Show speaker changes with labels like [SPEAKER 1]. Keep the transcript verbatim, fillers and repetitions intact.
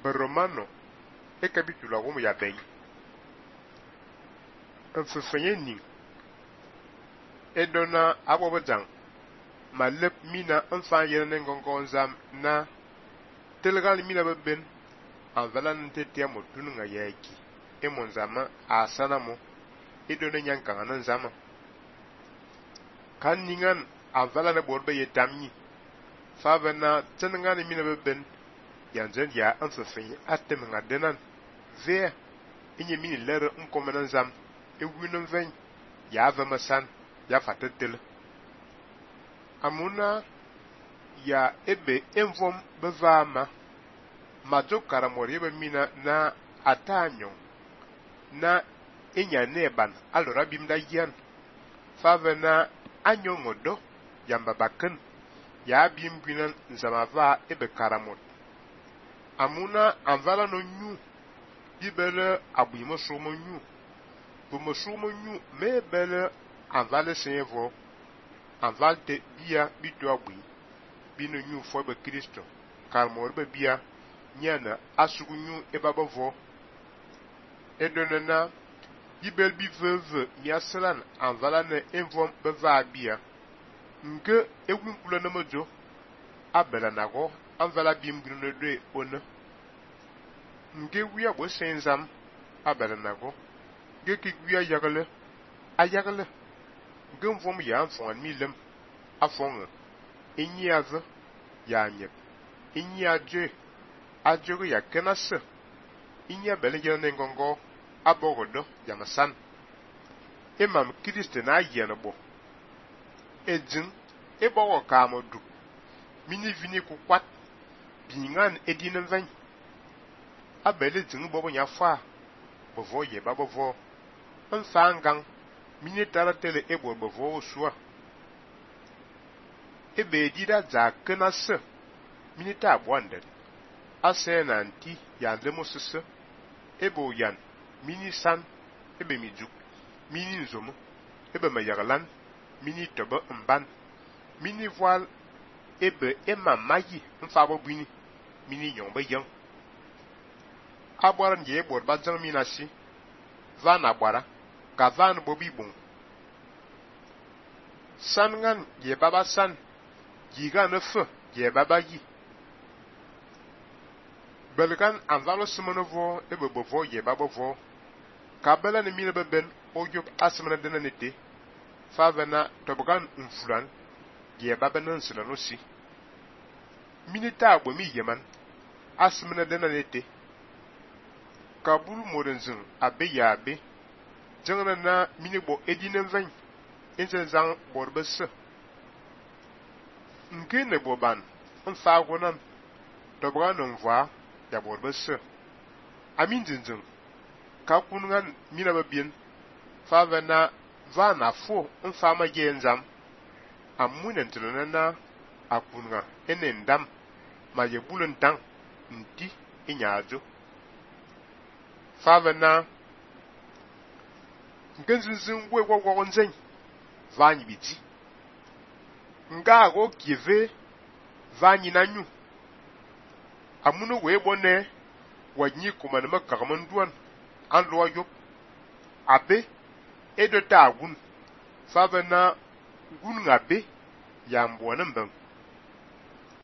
[SPEAKER 1] Romano e capítulo algum ya bem. En fefenye ning. E dona abobajang. Ma lep mina en fan yene ngongon zam na telgal mina beben an valan tete mo tununga yaki. E mon zama a sana mo. E dona nyankanga nan zama. Kan ningan an valan e borbe ye tamni. Fa vena tenengan mina beben yanzen ya en fefenye atem nga denan. Ve inye mini lere nkomenan zam. E winen ven ya vema san ya fatetel. Amuna ya ebe envom bevama majo karamori ebe mina na atanyo na inya neban alora bimda yan fave na anyo ngodo yamba baken ya bimbinan nzamava ebe karamot. Amuna anvala no nyu bibele abuyimo somo nyu bumo somo nyu mebele anvale sevo anvalte bia bitu agui binu nyu fo be Kristo karmor be bia nyana asugu nyu ebabavo edonena yibel bi veve miasran anvala ne envom beva bia nke egwunkula na mojo abela nago anvala bimbinu de ona nke wiya bo senzam abela nago geki wiya yagale ayagale gem vom ya fon milem afon inyi ave ya nyep inyi aje ajogo ya kenase inyi belege ne ngongo abogodo ya masan imam Kristo na yene bo ejin ebogo ka modu mini vini ku kwat bingan edinen ven abele jin bobo nya fa bovo ye babovo nfangang mini taratele ebo bovo osua ebe dida za kenase mini ta abwande ase na nti ya lemosese ebo yan mini san ebe mijuk mini nzomo ebe mayagalan mini tobo mban mini voile ebe ema mayi mfabo bini mini nyombe yang abwaran ye bor bajang minasi van abwara ka van bobi bon san ngan ye baba san yiga ne fe ye baba yi belgan anvalo simonovo ebe bovo ye baba vo ka bela ne mine beben ojob asmana denanete favena tobogan unfuran ye baba nan silano si minita agbo mi yeman asmana denanete kabulu modenzin abe ya abe jengna na minibo edinen ven insen zang borbese nke ne boban nfa gonam dobra non voa ya borbese amin jinjin ka kungan mina babien fa vena va na fo nfa ma genzam amunen tilana akunga enendam ma ye bulun tang nti inyajo fa vena ngenzinzin we gwogwo nzen vanyi biti nga go kive vanyi nanyu amuno we bone wanyi kuma na makamanduan an lo yop abe edo ta gun fa vena gun ngabe ya mbona mbam